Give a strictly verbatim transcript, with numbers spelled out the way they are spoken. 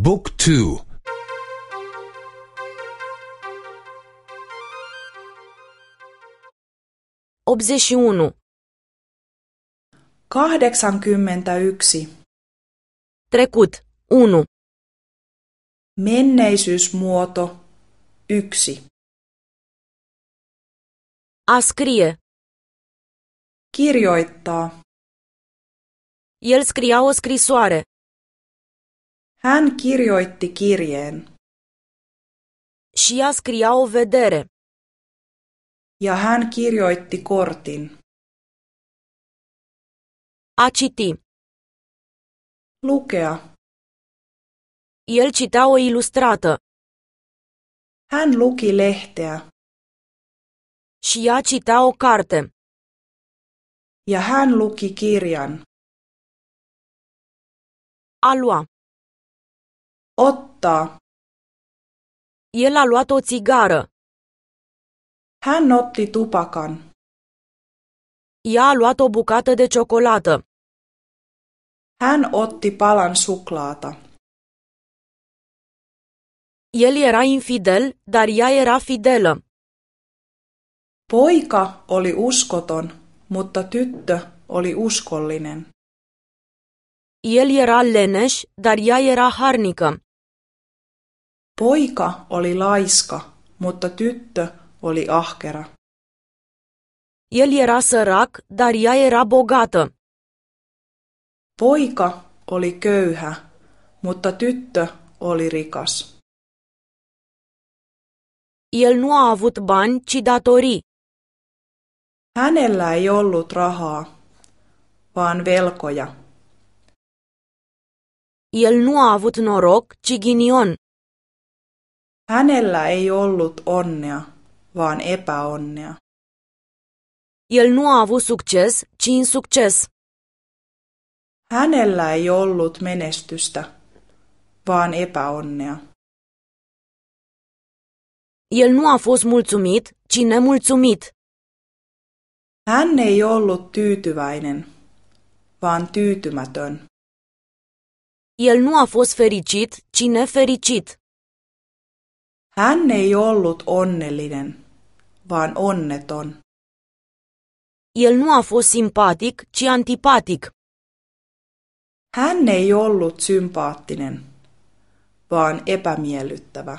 Book two. optzeci și unu. kahdeksankymmentäyksi. Trecut. unu. Menneisyysmuoto yksi. A scrie. Kirjoittaa. El scria o scrisoare. Hän kirjoitti kirjeen. Și ea scria o vedere. Ja hän kirjoitti kortin. A citi. Lukea. El citea o ilustrată. Hän luki lehteä. Și ea citea o carte. Ja hän luki kirjan. A lua. Ottaa. El a luat o țigară. Hän otti tupakan. Ea a luat o bucată de ciocolată. Hän otti palan suklaata. El era infidel, dar ea era fidelă. Poika oli uskoton, mutta tyttö oli uskollinen. El era leneș, dar ea era harnică. Poika oli laiska, mutta tyttö oli ahkera. El era sărac, dar ea era bogată. Poika oli köyhä, mutta tyttö oli rikas. El nu a avut bani, ci datorii. Hänellä ei ollut rahaa, vaan velkoja. El nu a avut noroc, ci ghinion. Hänellä ei ollut onnea, vaan epäonnea. El nu a avut succes, ci insucces. Hänellä ei ollut menestystä, vaan epäonnea. El nu a fost mulțumit, ci nemulțumit. Hän ei ollut tyytyväinen, vaan tyytymätön. El nu a fost fericit, ci nefericit. Hän ei ollut onnellinen, vaan onneton. El nu a fost simpatic, ci antipatic. Hän ei ollut sympaattinen, vaan epämiellyttävä.